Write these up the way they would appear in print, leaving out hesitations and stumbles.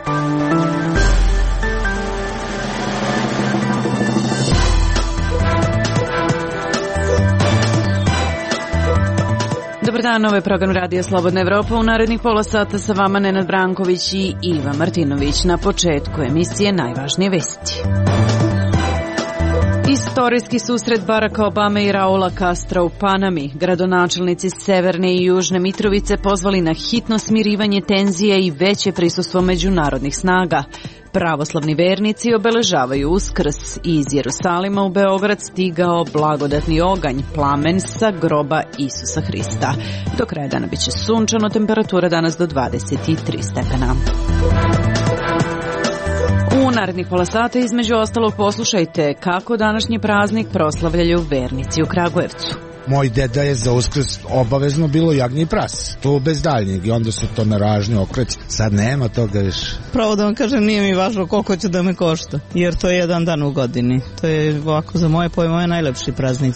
Dobar dan, ovo je program Radija Slobodna Evropa. U narednih pola sata sa vama Nenad Branković i Iva Martinović. Na početku emisije najvažnije vesti. Istorijski susret Baracka Obame i Raula Castra u Panami. Gradonačelnici Severne i Južne Mitrovice pozvali na hitno smirivanje tenzije i veće prisustvo međunarodnih snaga. Pravoslavni vernici obeležavaju Uskrs i iz Jerusalima u Beograd stigao blagodatni oganj, plamen sa groba Isusa Hrista. Do kraja dana biće sunčano, temperatura danas do 23 stepena. U narednih pola sata između ostalog poslušajte kako današnji praznik proslavljaju vernici u Kragujevcu. Moj deda je za Uskrs obavezno bilo jagnje i prase. To bez daljnjeg i onda su to na ražnje okreci. Sad nema toga više. Pravo da vam kažem, nije mi važno koliko će da me košta, jer to je jedan dan u godini. To je ovako za moje pojmove najlepši praznik.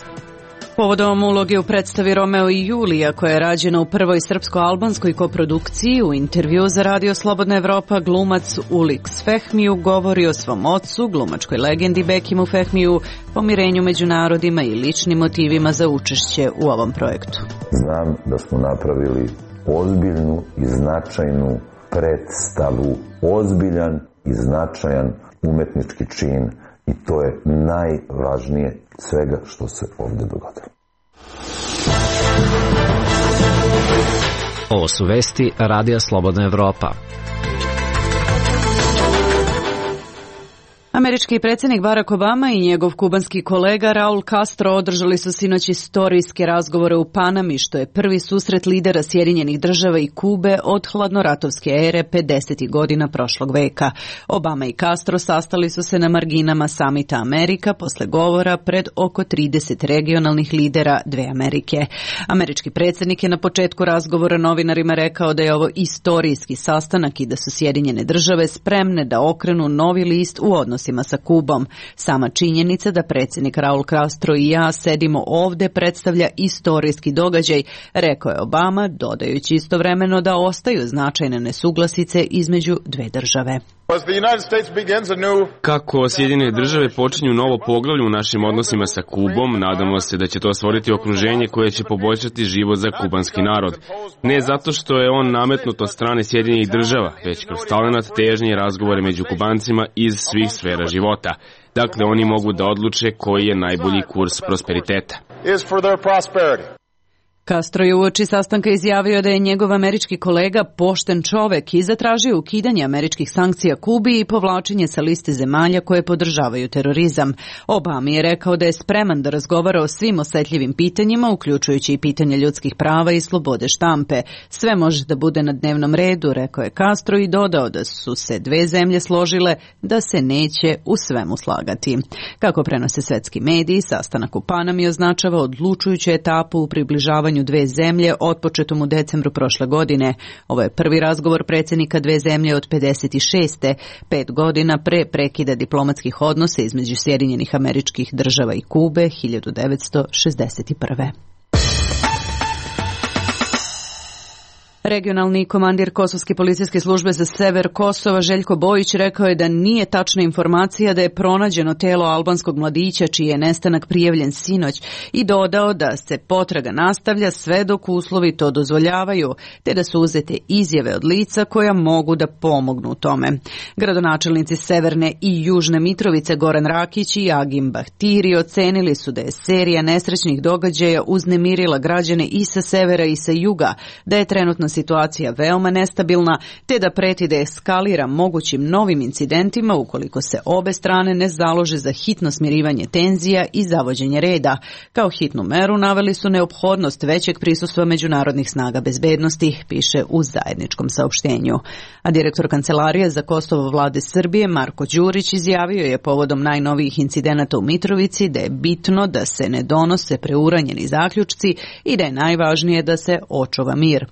Povodom uloge u predstavi Romeo i Julija, koja je rađena u prvoj srpsko-albanskoj koprodukciji, u intervju za Radio Slobodna Evropa glumac Uliks Fehmiju govori o svom ocu, glumačkoj legendi Bekimu Fehmiju, pomirenju među narodima i ličnim motivima za učešće u ovom projektu. Znam da smo napravili ozbiljnu i značajnu predstavu, ozbiljan i značajan umetnički čin. I to je najvažnije svega što se ovdje dogodilo. Ovo su vesti Radija Slobodna Evropa. Američki predsjednik Barack Obama i njegov kubanski kolega Raul Castro održali su sinoć istorijske razgovore u Panami, što je prvi susret lidera Sjedinjenih Država i Kube od hladnoratovske ere 50. godina prošlog veka. Obama i Castro sastali su se na marginama samita Amerika posle govora pred oko 30 regionalnih lidera dve Amerike. Američki predsjednik je na početku razgovora novinarima rekao da je ovo istorijski sastanak i da su Sjedinjene Države spremne da okrenu novi list u odnosima sa Kubom. Sama činjenica da predsjednik Raul Castro i ja sedimo ovdje predstavlja istorijski događaj, rekao je Obama, dodajući istovremeno da ostaju značajne nesuglasice između dve države. Kako Sjedinjene Države počinju novo poglavlje u našim odnosima sa Kubom, nadamo se da će to stvoriti okruženje koje će poboljšati život za kubanski narod. Ne zato što je on nametnut od strane Sjedinjenih Država, već kroz talenat, težnje i razgovore među Kubancima iz svih sfera života. Dakle, oni mogu da odluče koji je najbolji kurs prosperiteta. Castro je uoči sastanka izjavio da je njegov američki kolega pošten čovek i zatražio ukidanje američkih sankcija Kubi i povlačenje sa liste zemalja koje podržavaju terorizam. Obama je rekao da je spreman da razgovara o svim osetljivim pitanjima, uključujući i pitanje ljudskih prava i slobode štampe. Sve može da bude na dnevnom redu, rekao je Castro i dodao da su se dve zemlje složile da se neće u svemu slagati. Kako prenose svetski mediji, sastanak u Panami označava odlučujuću etapu u približavanju dve zemlje otpočetom u decembru prošle godine. Ovo je prvi razgovor predsjednika dve zemlje od 56. 5 godina pre prekida diplomatskih odnosa između Sjedinjenih Američkih Država i Kube 1961. Regionalni komandir Kosovske policijske službe za sever Kosova Željko Bojić rekao je da nije tačna informacija da je pronađeno telo albanskog mladića čiji je nestanak prijavljen sinoć i dodao da se potraga nastavlja sve dok uslovi to dozvoljavaju, te da su uzete izjave od lica koja mogu da pomognu u tome. Gradonačelnici Severne i Južne Mitrovice Goran Rakić i Agim Bahtiri ocenili su da je serija nesrećnih događaja uznemirila građane i sa severa i sa juga, da je trenutno situacija veoma nestabilna, te da preti da eskalira mogućim novim incidentima ukoliko se obe strane ne založe za hitno smirivanje tenzija i zavođenje reda. Kao hitnu meru naveli su neophodnost većeg prisustva međunarodnih snaga bezbednosti, piše u zajedničkom saopštenju. A direktor Kancelarije za Kosovo vlade Srbije Marko Đurić izjavio je povodom najnovijih incidenata u Mitrovici da je bitno da se ne donose preuranjeni zaključci i da je najvažnije da se očuva mir.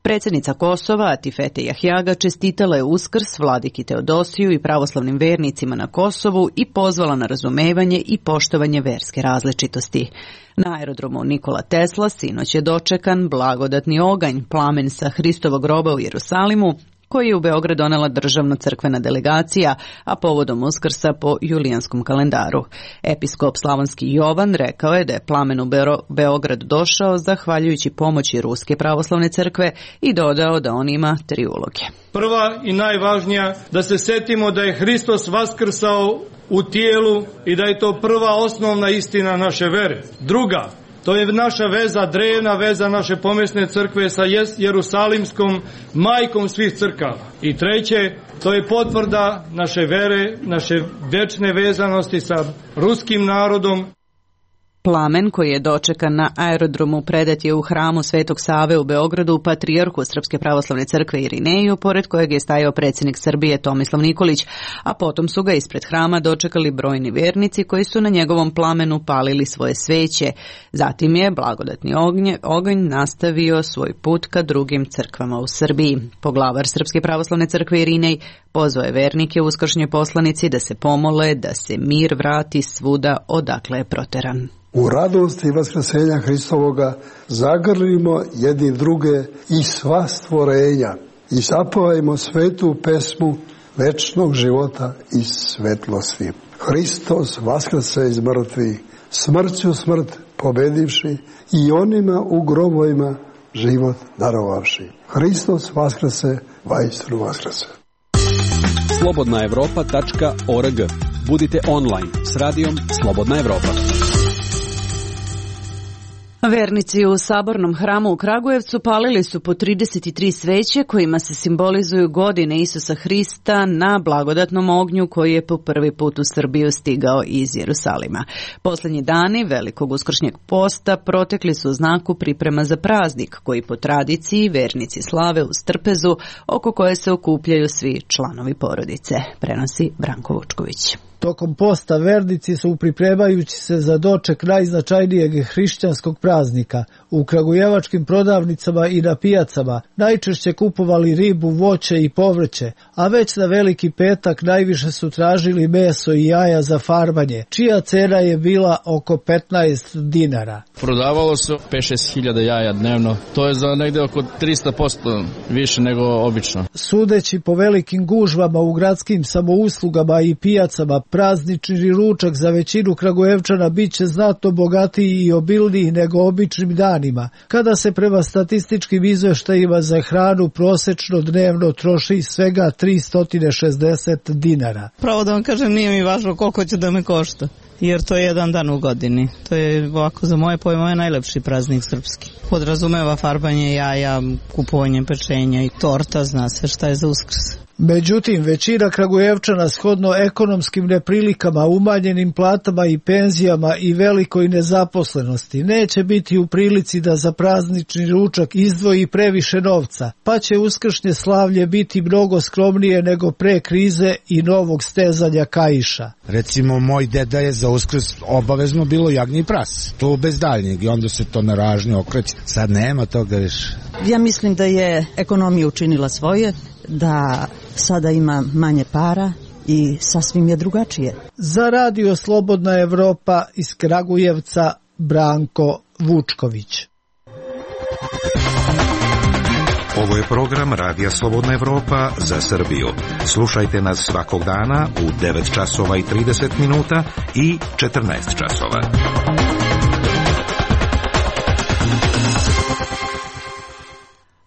Predsjednica Kosova, Atifete Jahjaga, čestitala je Uskrs vladiki Teodosiju i pravoslavnim vernicima na Kosovu i pozvala na razumevanje i poštovanje verske različitosti. Na aerodromu Nikola Tesla sinoć je dočekan blagodatni oganj, plamen sa Hristovog groba u Jerusalimu, koji je u Beograd donela državna crkvena delegacija, a povodom Uskrsa po julijanskom kalendaru. Episkop Slavonski Jovan rekao je da je plamen u Beograd došao zahvaljujući pomoći Ruske pravoslavne crkve i dodao da on ima 3 uloge. Prva i najvažnija, da se setimo da je Hristos vaskrsao u tijelu i da je to prva osnovna istina naše vere. Druga, to je naša veza, drevna veza naše pomesne crkve sa Jerusalimskom, majkom svih crkava. I treće, to je potvrda naše vere, naše večne vezanosti sa ruskim narodom. Plamen koji je dočekan na aerodromu predat je u hramu Svetog Save u Beogradu patrijarhu Srpske pravoslavne crkve Irineju, pored kojeg je stajao predsjednik Srbije Tomislav Nikolić, a potom su ga ispred hrama dočekali brojni vernici koji su na njegovom plamenu palili svoje sveće. Zatim je blagodatni oganj nastavio svoj put ka drugim crkvama u Srbiji. Poglavar Srpske pravoslavne crkve Irinej pozvao je vernike uskršnje poslanici da se pomole da se mir vrati svuda odakle je proteran. U radosti vaskrsenja Hristovoga zagrlimo jedni druge i sva stvorenja i zapevajmo svetu pesmu večnog života i svetlosti. Hristos vaskrse iz mrtvih, smrću smrt pobedivši i onima u grobovima život darovavši. Hristos vaskrse, vaistinu vaskrse. slobodnaevropa.org. Budite online s radijom Slobodna Evropa. Vernici u Sabornom hramu u Kragujevcu palili su po 33 sveće kojima se simbolizuju godine Isusa Hrista na blagodatnom ognju koji je po prvi put u Srbiju stigao iz Jerusalima. Posljednji dani velikog uskršnjeg posta protekli su u znaku priprema za praznik koji po tradiciji vernici slave uz trpezu oko koje se okupljaju svi članovi porodice, prenosi Branko Vučković. Tokom posta vernici su pripremajući se za doček najznačajnijeg hrišćanskog praznika u kragujevačkim prodavnicama i na pijacama najčešće kupovali ribu, voće i povrće, a već na Veliki petak najviše su tražili meso i jaja za farbanje, čija cena je bila oko 15 dinara. Prodavalo se 5-6 hiljada jaja dnevno, to je za negde oko 300% više nego obično. Sudeći po velikim gužvama u gradskim samouslugama i pijacama, praznični ručak za većinu Kragujevčana bit će znatno bogatiji i obilniji nego običnim danima, kada se prema statističkim izveštajima za hranu prosečno dnevno troši svega 360 dinara. Pravo da vam kažem, nije mi važno koliko će da me košta, jer to je jedan dan u godini. To je ovako za moje pojmove najlepši praznik srpski. Podrazumeva farbanje jaja, kupovanje pečenja i torta, zna se šta je za Uskrs. Međutim, većina Kragujevčana shodno ekonomskim neprilikama, umanjenim platama i penzijama i velikoj nezaposlenosti neće biti u prilici da za praznični ručak izdvoji previše novca, pa će uskršnje slavlje biti mnogo skromnije nego pre krize i novog stezanja kaiša. Recimo, moj deda je za Uskrs obavezno bilo jagnje i prase. To bez daljnjeg i onda se to na ražnju okreće. Sad nema toga više. Ja mislim da je ekonomija učinila svoje, da sada ima manje para i sasvim je drugačije. Za radio Slobodna Evropa iz Kragujevca, Branko Vučković. Ovo je program Radija Slobodna Evropa za Srbiju. Slušajte nas svakog dana u 9 časova i 30 minuta i 14 časova.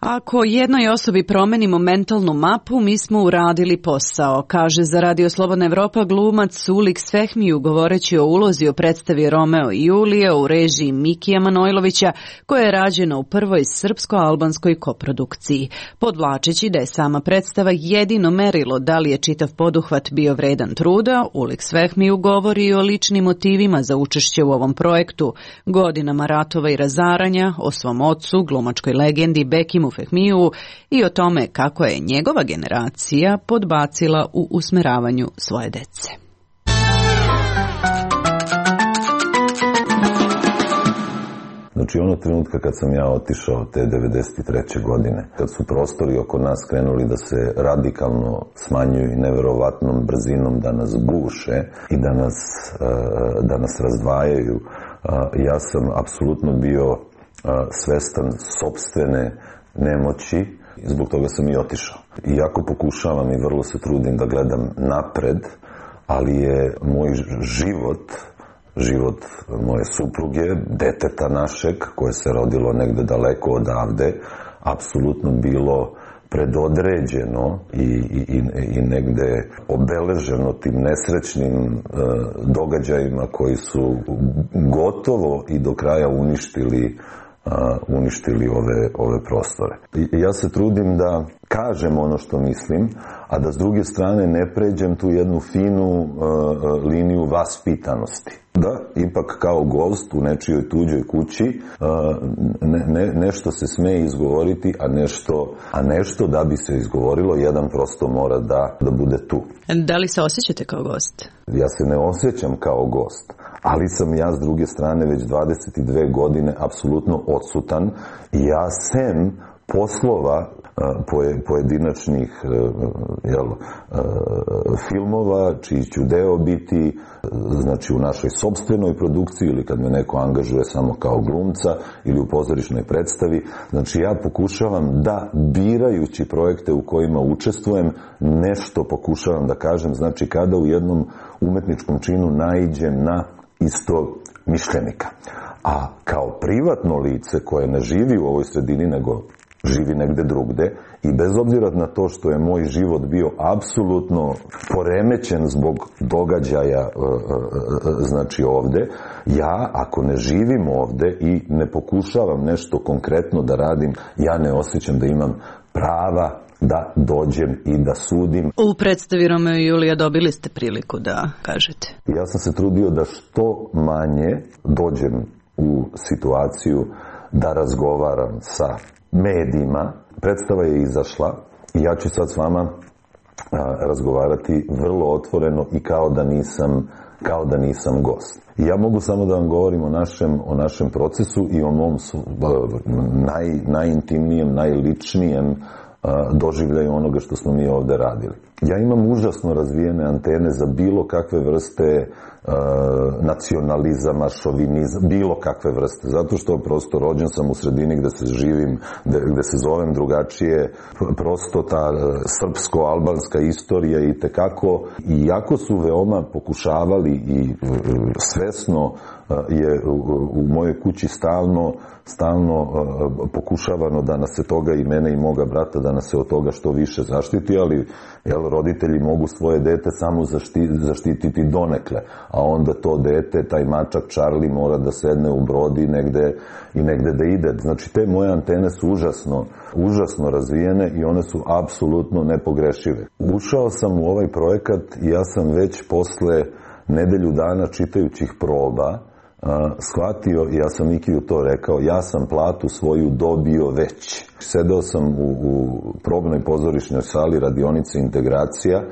Ako jednoj osobi promenimo mentalnu mapu, mi smo uradili posao, kaže za Radio Slobodna Evropa glumac Ulik Svehmiju govoreći o ulozi o predstavi Romeo i Julija u režiji Mikija Manojlovića, koja je rađena u prvoj srpsko-albanskoj koprodukciji. Podvlačeći da je sama predstava jedino merilo da li je čitav poduhvat bio vredan truda, Ulik Svehmiju govori o ličnim motivima za učešće u ovom projektu, godinama ratova i razaranja, o svom ocu, glumačkoj legendi Bekimu Fehmiju i o tome kako je njegova generacija podbacila u usmeravanju svoje dece. Znači, ono trenutka kad sam ja otišao te 93. godine, kad su prostori oko nas krenuli da se radikalno smanjuju i neverovatnom brzinom da nas guše i da nas razdvajaju, ja sam apsolutno bio svestan sopstvene nemoći Zbog toga sam i otišao. Iako pokušavam i vrlo se trudim da gledam napred, ali je moj život moje supruge, deteta našeg, koje se rodilo negde daleko odavde, apsolutno bilo predodređeno i negde obeleženo tim nesrećnim događajima koji su gotovo i do kraja uništili ove prostore. Ja se trudim da kažem ono što mislim, a da s druge strane ne pređem tu jednu finu liniju vaspitanosti. Da, ipak kao gost u nečijoj tuđoj kući nešto se sme izgovoriti, a nešto da bi se izgovorilo, jedan prosto mora da bude tu. Da li se osjećate kao gost? Ja se ne osjećam kao gost, ali sam ja s druge strane već 22 godine apsolutno odsutan i ja sem poslova pojedinačnih filmova, čiji ću deo biti, znači u našoj sopstvenoj produkciji ili kad me neko angažuje samo kao glumca ili u pozorišnoj predstavi. Znači ja pokušavam da, birajući projekte u kojima učestvujem, nešto pokušavam da kažem. Znači kada u jednom umetničkom činu naiđem na isto mišljenika. A kao privatno lice koje ne živi u ovoj sredini, nego živi negde drugde, i bez obzira na to što je moj život bio apsolutno poremećen zbog događaja znači ovde, ja ako ne živim ovde i ne pokušavam nešto konkretno da radim, ja ne osjećam da imam prava da dođem i da sudim. U predstavi Romeo i Julija dobili ste priliku da kažete. Ja sam se trudio da što manje dođem u situaciju da razgovaram sa medijima. Predstava je izašla i ja ću sad s vama razgovarati vrlo otvoreno i kao da nisam gost. I ja mogu samo da vam govorim o našem procesu i o mom najintimnijem, najličnijem doživljaju onoga što smo mi ovde radili. Ja imam užasno razvijene antene za bilo kakve vrste nacionalizama, šovinizma, bilo kakve vrste, zato što prosto rođen sam u sredini gde se živim, gde se zovem drugačije, prosto ta srpsko-albanska istorija i tekako, iako su veoma pokušavali i svesno je u mojoj kući stalno pokušavano da nas se toga, i mene i moga brata, da nas se od toga što više zaštiti, ali roditelji mogu svoje dete samo zaštititi donekle, a onda to dete, taj mačak Charlie, mora da sedne u brod i negde da ide. Znači te moje antene su užasno razvijene i one su apsolutno nepogrešive. Ušao sam u ovaj projekat i ja sam već posle nedelju dana čitajućih proba shvatio, ja sam Mikiju to rekao, ja sam platu svoju dobio već. Sedeo sam u probnoj pozorišnoj sali radionice Integracija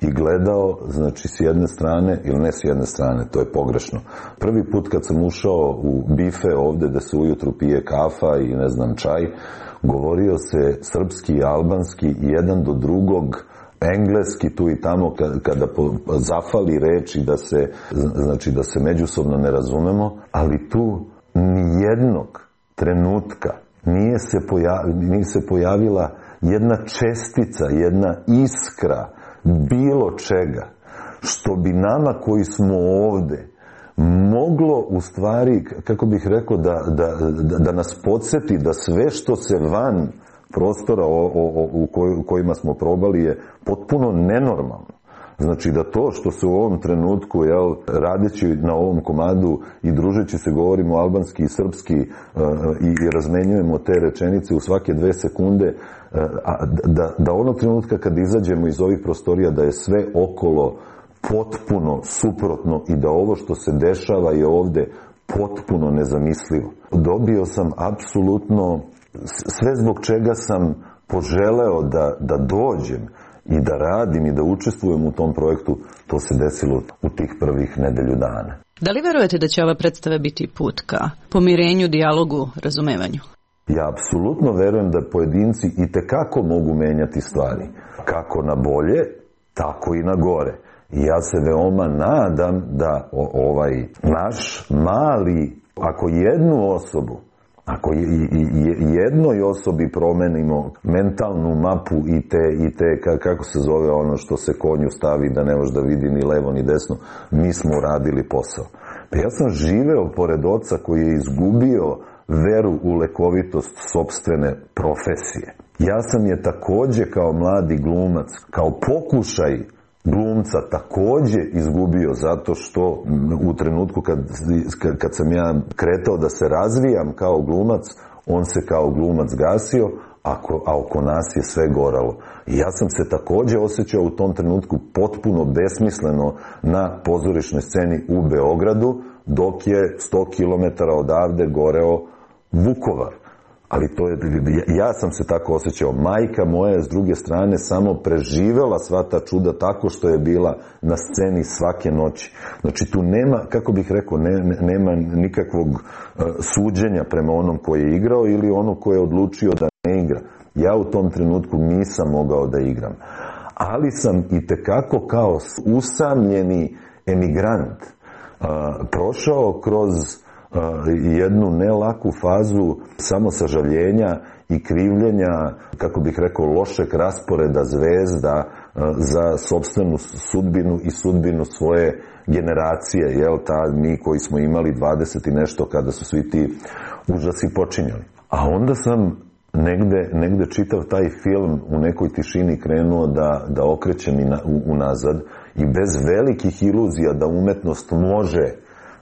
i gledao, znači s jedne strane, ili ne s jedne strane, to je pogrešno. Prvi put kad sam ušao u bife ovde da se ujutru pije kafa i ne znam čaj, govorio se srpski i albanski jedan do drugog, engleski tu i tamo kada zafali reči da se međusobno ne razumemo, ali tu nijednog trenutka nije se pojavila jedna čestica, jedna iskra bilo čega što bi nama koji smo ovde moglo u stvari, kako bih rekao, da nas podsjeti da sve što se van prostora u kojima smo probali je potpuno nenormalno. Znači da to što se u ovom trenutku, radeći na ovom komadu i družeći se, govorimo albanski i srpski i razmenjujemo te rečenice u svake 2 sekunde, da onog trenutka kad izađemo iz ovih prostorija da je sve okolo potpuno suprotno i da ovo što se dešava je ovde potpuno nezamislivo. Dobio sam apsolutno sve zbog čega sam poželeo da dođem i da radim i da učestvujem u tom projektu, to se desilo u tih prvih nedelju dana. Da li verujete da će ova predstava biti put ka pomirenju, dijalogu, razumevanju? Ja apsolutno verujem da pojedinci i tekako mogu menjati stvari. Kako na bolje, tako i na gore. I ja se veoma nadam da ovaj naš mali, ako jednu osobu Ako jednoj osobi promenimo mentalnu mapu i te, kako se zove ono što se konju stavi da ne može da vidi ni levo ni desno, mi smo uradili posao. Pa ja sam živeo pored oca koji je izgubio veru u lekovitost sopstvene profesije. Ja sam je takođe kao mladi glumac, kao pokušaj glumca takođe izgubio zato što u trenutku kad sam ja kretao da se razvijam kao glumac, on se kao glumac gasio, a oko nas je sve goralo. I ja sam se takođe osjećao u tom trenutku potpuno besmisleno na pozorišnoj sceni u Beogradu, dok je 100 km odavde goreo Vukovar. Ali ja sam se tako osjećao. Majka moja je s druge strane samo preživela sva ta čuda tako što je bila na sceni svake noći. Znači tu nema, kako bih rekao, nema nikakvog suđenja prema onom koji je igrao ili onom koji je odlučio da ne igra. Ja u tom trenutku nisam mogao da igram. Ali sam itekako kao usamljeni emigrant prošao kroz jednu nelaku fazu samosažaljenja i krivljenja, kako bih rekao, lošeg rasporeda zvezda za sopstvenu sudbinu i sudbinu svoje generacije, jel, mi koji smo imali 20 i nešto kada su svi ti užasi počinjali. A onda sam negde čitav taj film u nekoj tišini krenuo da okrećem unazad i bez velikih iluzija da umetnost može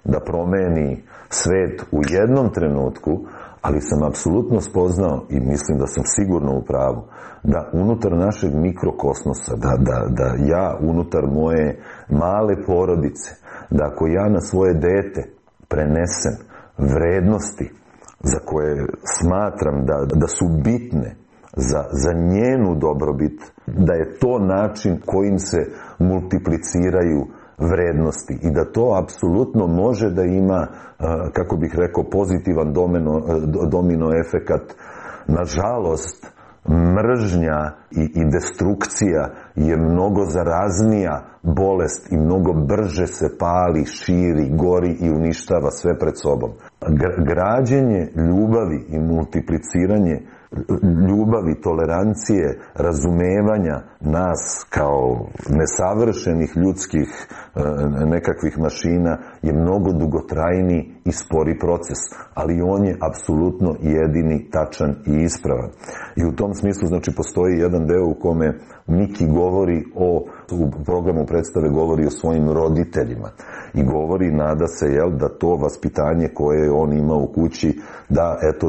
da promeni svet u jednom trenutku, ali sam apsolutno spoznao i mislim da sam sigurno u pravu, da unutar našeg mikrokosmosa, da ja unutar moje male porodice, da ako ja na svoje dete prenesem vrednosti za koje smatram da su bitne za njenu dobrobit, da je to način kojim se multipliciraju vrednosti i da to apsolutno može da ima, kako bih rekao, pozitivan domino efekat. Nažalost, mržnja i destrukcija je mnogo zaraznija bolest i mnogo brže se pali, širi, gori i uništava sve pred sobom. Građenje ljubavi i multipliciranje ljubavi, tolerancije, razumevanja nas kao nesavršenih ljudskih nekakvih mašina je mnogo dugotrajniji i spori proces, ali on je apsolutno jedini, tačan i ispravan. I u tom smislu, znači, postoji jedan deo u kome Miki govori u programu predstave govori o svojim roditeljima i govori, nada se, da to vaspitanje koje on ima u kući,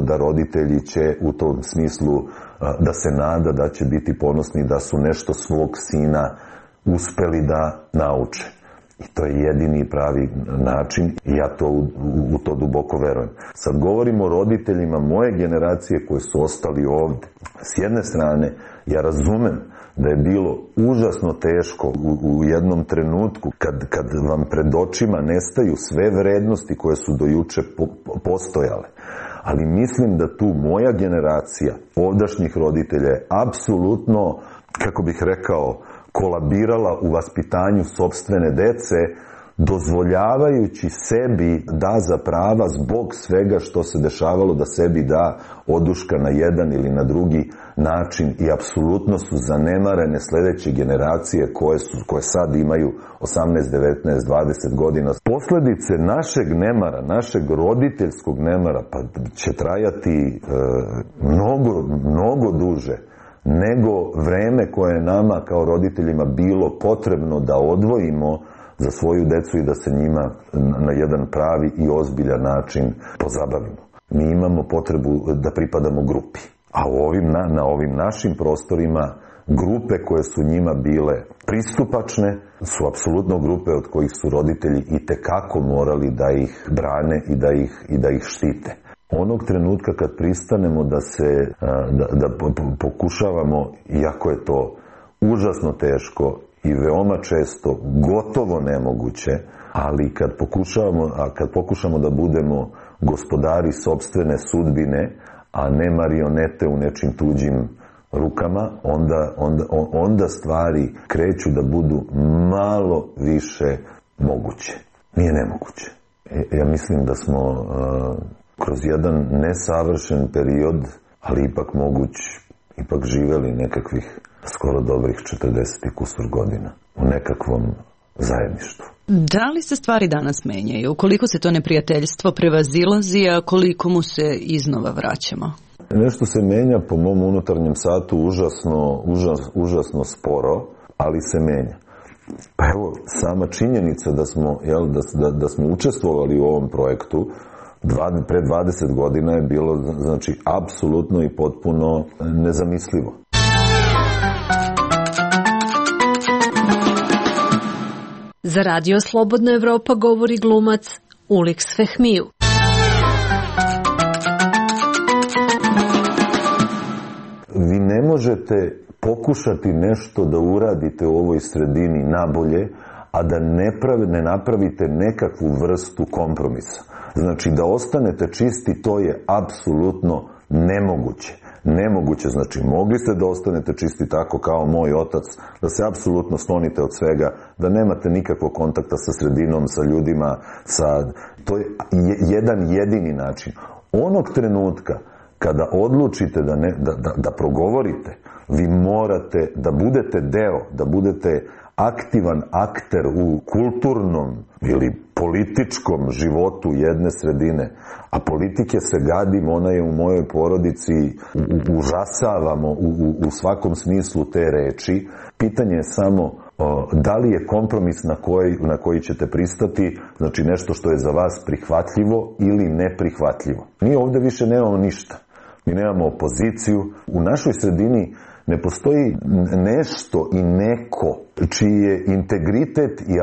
da roditelji će u tom smislu da se nada da će biti ponosni da su nešto svog sina uspeli da nauče. I to je jedini pravi način i ja u to duboko verujem. Sad govorimo o roditeljima moje generacije koji su ostali ovde. S jedne strane, ja razumem da je bilo užasno teško u jednom trenutku kad vam pred očima nestaju sve vrednosti koje su do juče postojale. Ali mislim da tu moja generacija ovdašnjih roditelja je apsolutno, kako bih rekao, kolabirala u vaspitanju sopstvene dece, dozvoljavajući sebi da za prava zbog svega što se dešavalo da sebi da oduška na jedan ili na drugi način i apsolutno su zanemarene sledeće generacije koje sad imaju 18, 19, 20 godina. Posledice našeg nemara, našeg roditeljskog nemara pa će trajati mnogo duže nego vreme koje je nama kao roditeljima bilo potrebno da odvojimo za svoju decu i da se njima na jedan pravi i ozbiljan način pozabavimo. Mi imamo potrebu da pripadamo grupi, a na ovim našim prostorima grupe koje su njima bile pristupačne su apsolutno grupe od kojih su roditelji itekako morali da ih brane i da ih štite. Onog trenutka kad pristanemo da pokušavamo, iako je to užasno teško i veoma često gotovo nemoguće, ali kad pokušamo da budemo gospodari sopstvene sudbine, a ne marionete u nečim tuđim rukama, onda stvari kreću da budu malo više moguće. Nije nemoguće. Ja mislim da smo kroz jedan nesavršen period, ali ipak moguć, ipak živeli nekakvih skoro dobrih 40 i kusur godina u nekakvom zajedništvu. Da li se stvari danas menjaju? Koliko se to neprijateljstvo prevazilazi, a koliko mu se iznova vraćamo? Nešto se menja po mom unutarnjem satu užasno sporo, ali se menja. Pa evo, sama činjenica da smo učestvovali u ovom projektu pre 20 godina je bilo, znači, apsolutno i potpuno nezamislivo. Za Radio Slobodna Evropa govori glumac Uliks Fehmiju. Vi ne možete pokušati nešto da uradite u ovoj sredini nabolje, a da ne napravite nekakvu vrstu kompromisa. Znači, da ostanete čisti, to je apsolutno nemoguće. Nemoguće, znači, mogli ste da ostanete čisti tako kao moj otac, da se apsolutno sklonite od svega, da nemate nikakvog kontakta sa sredinom, sa ljudima, to je jedan jedini način. Onog trenutka kada odlučite da progovorite, vi morate da budete deo, da budete aktivan akter u kulturnom ili političkom životu jedne sredine, a politike se gadim, ona je u mojoj porodici, užasavamo u svakom smislu te reči. Pitanje je samo da li je kompromis na koji ćete pristati, znači nešto što je za vas prihvatljivo ili neprihvatljivo. Mi ovde više nemamo ništa. Mi nemamo opoziciju. U našoj sredini ne postoji nešto i neko čiji je integritet i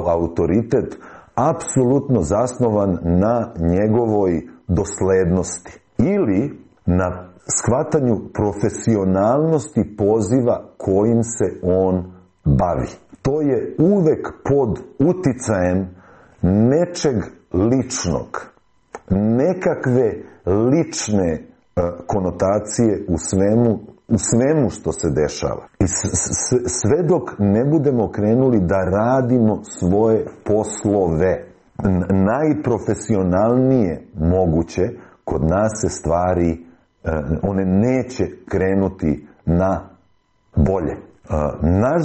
autoritet apsolutno zasnovan na njegovoj doslednosti ili na shvatanju profesionalnosti poziva kojim se on bavi. To je uvek pod uticajem nečeg ličnog, nekakve lične konotacije u svemu što se dešava. I sve dok ne budemo krenuli da radimo svoje poslove najprofesionalnije moguće, kod nas se stvari, one neće krenuti na bolje. Naš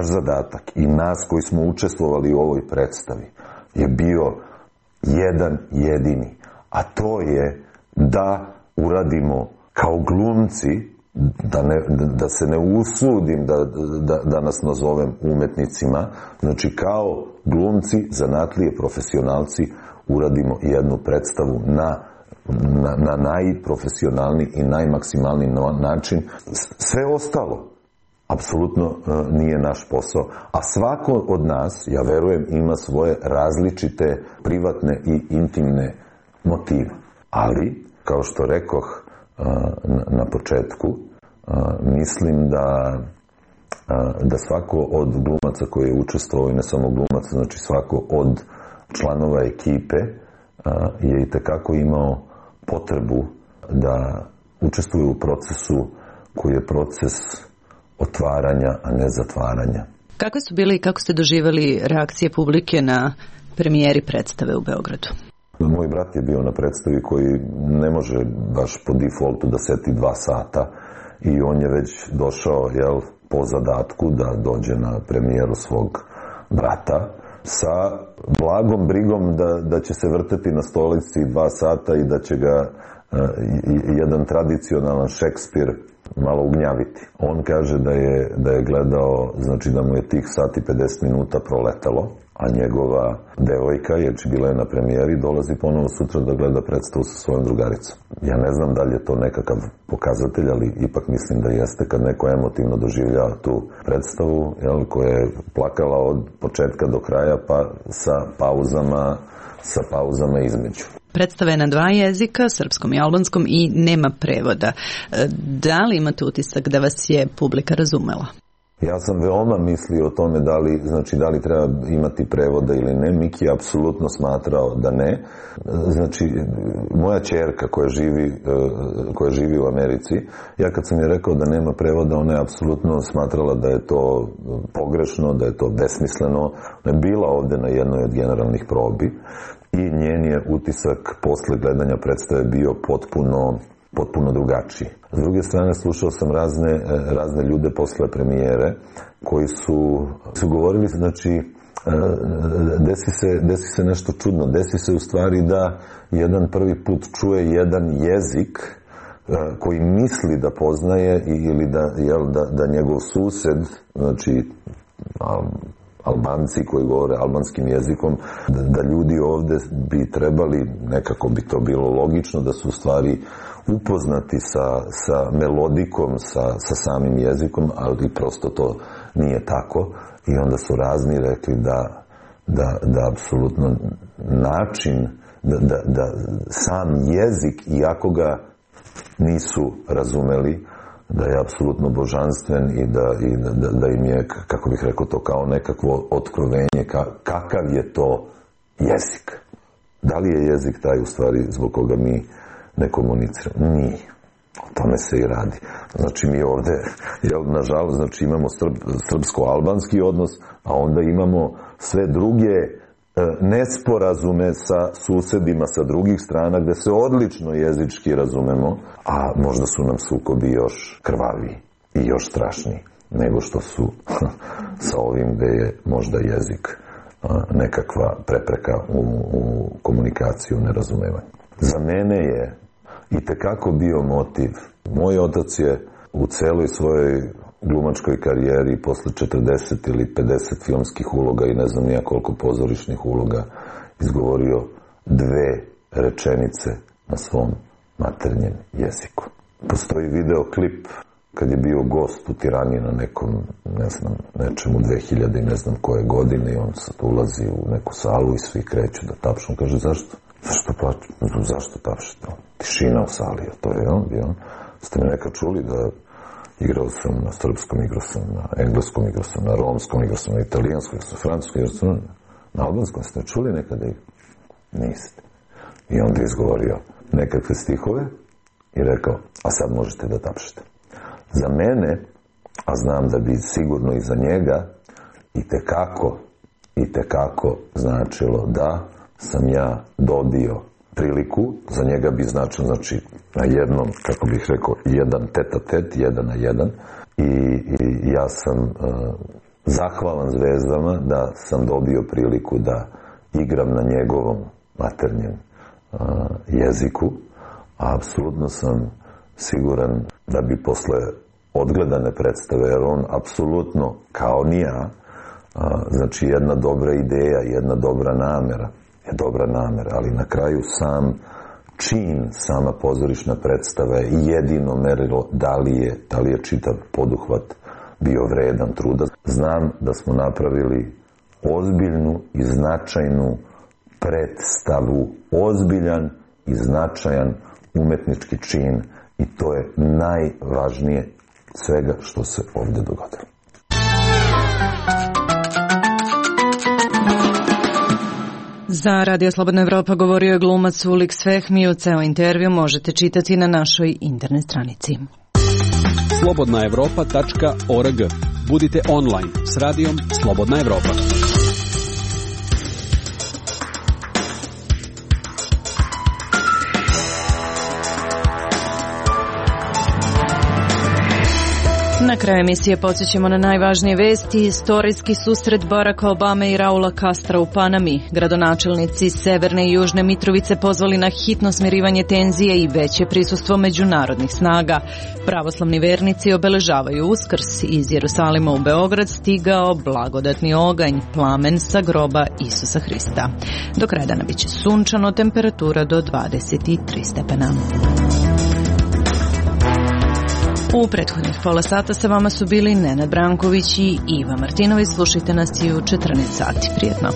zadatak i nas koji smo učestvovali u ovoj predstavi je bio jedan jedini, a to je da uradimo kao glumci, da se ne usudim da nas nazovem umetnicima, znači kao glumci, zanatlije, profesionalci, uradimo jednu predstavu na najprofesionalniji i najmaksimalniji način. Sve ostalo apsolutno nije naš posao, a svako od nas, ja verujem, ima svoje različite privatne i intimne motive. Ali, kao što rekoh na početku, mislim da svako od glumaca koji je učestvovao, i ne samo glumaca, znači svako od članova ekipe je itekako imao potrebu da učestvuje u procesu koji je proces otvaranja, a ne zatvaranja. Kakve su bili i kako ste doživjeli reakcije publike na premijeri predstave u Beogradu? Moj brat je bio na predstavi koji ne može baš po defaultu da seti 2 sata i on je već došao po zadatku da dođe na premijeru svog brata sa blagom brigom da će se vrteti na stolici 2 sata i da će ga jedan tradicionalan Šekspir malo ugnjaviti. On kaže da je gledao, znači da mu je tih sati 50 minuta proletalo, a njegova devojka, jer bila je na premijeri, dolazi ponovo sutra da gleda predstavu sa svojom drugaricom. Ja ne znam da li je to nekakav pokazatelj, ali ipak mislim da jeste kad neko emotivno doživljava tu predstavu, koja je plakala od početka do kraja, pa sa pauzama između. Predstava je na 2 jezika, srpskom i albanskom, i nema prevoda. Da li imate utisak da vas je publika razumela? Ja sam veoma mislio o tome da li treba imati prevoda ili ne. Miki je apsolutno smatrao da ne. Znači, moja ćerka koja živi u Americi, ja kad sam je rekao da nema prevoda, ona je apsolutno smatrala da je to pogrešno, da je to besmisleno. Ona je bila ovde na jednoj od generalnih probi i njen je utisak posle gledanja predstave bio potpuno drugačiji. S druge strane, slušao sam razne ljude posle premijere koji su govorili, znači, desi se nešto čudno. Desi se u stvari da jedan prvi put čuje jedan jezik koji misli da poznaje ili da njegov sused, znači Albanci koji govore albanskim jezikom, da ljudi ovde bi trebali, nekako bi to bilo logično, da su u stvari upoznati sa melodikom, sa samim jezikom, ali prosto to nije tako. I onda su razni rekli da apsolutno način, da sam jezik, iako ga nisu razumeli, da je apsolutno božanstven i da im je, kako bih rekao, to kao nekakvo otkrovenje, kakav je to jezik. Da li je jezik taj u stvari zbog koga mi ne komuniciramo? Nije. O tome se i radi. Znači mi ovde, nažalost, znači imamo srpsko-albanski odnos, a onda imamo sve druge nesporazume sa susedima sa drugih strana, gde se odlično jezički razumemo, a možda su nam sukobi još krvaviji i još strašniji nego što su sa ovim gde je možda jezik nekakva prepreka u komunikaciju, u nerazumevanju. Za mene je itekako bio motiv. Moj otac je u celoj svojoj glumačkoj karijeri posle 40 ili 50 filmskih uloga i ne znam nija koliko pozorišnih uloga izgovorio 2 rečenice na svom maternjem jeziku. Postoji videoklip kad je bio gost u Tirani na nekom, ne znam, nečemu 2000 i ne znam koje godine i on sad ulazi u neku salu i svi kreću da tapšu. On kaže, zašto? Zašto tapšete? Tišina u sali, to je on bio. Ste me nekad čuli da igrao sam na srpskom, igrao sam na engleskom, igrao sam na romskom, igrao sam na italijanskom, igrao sam na francuskom, igrao sam na albanskom. Ste me čuli nekada? Niste. I onda je izgovorio nekakve stihove i rekao, a sad možete da tapšete. Za mene, a znam da bi sigurno i za njega, i tekako značilo da sam ja dobio priliku, za njega bi značilo, znači, na jednom, kako bih rekao, jedan tet-a-tet, 1 na 1, i ja sam zahvalan zvezdama da sam dobio priliku da igram na njegovom maternjem jeziku, a apsolutno sam siguran da bi posle odgledane predstave, jer on apsolutno, kao ni ja, znači jedna dobra ideja, jedna dobra namera, ali na kraju sam čin, sama pozorišna predstava je jedino merilo da li je čitav poduhvat bio vredan truda. Znam da smo napravili ozbiljnu i značajnu predstavu, ozbiljan i značajan umetnički čin i to je najvažnije svega što se ovde dogodilo. Za Radio Slobodna Evropa govorio je glumac Uliks Fehmi. Ceo intervju možete čitati na našoj internet stranici. slobodnaevropa.org. Budite online s radijom Slobodna Evropa. Na kraju emisije podsjećamo na najvažnije vesti. Istorijski susret Baracka Obame i Raula Castra u Panami. Gradonačelnici Severne i Južne Mitrovice pozvali na hitno smirivanje tenzije i veće prisustvo međunarodnih snaga. Pravoslavni vernici obeležavaju Uskrs. Iz Jerusalima u Beograd stigao blagodatni oganj, plamen sa groba Isusa Hrista. Do kraja dana biće sunčano, temperatura do 23 stepena. U prethodnih pola sata sa vama su bili Nenad Branković i Iva Martinović. Slušajte nas i u 14 sati. Prijetno.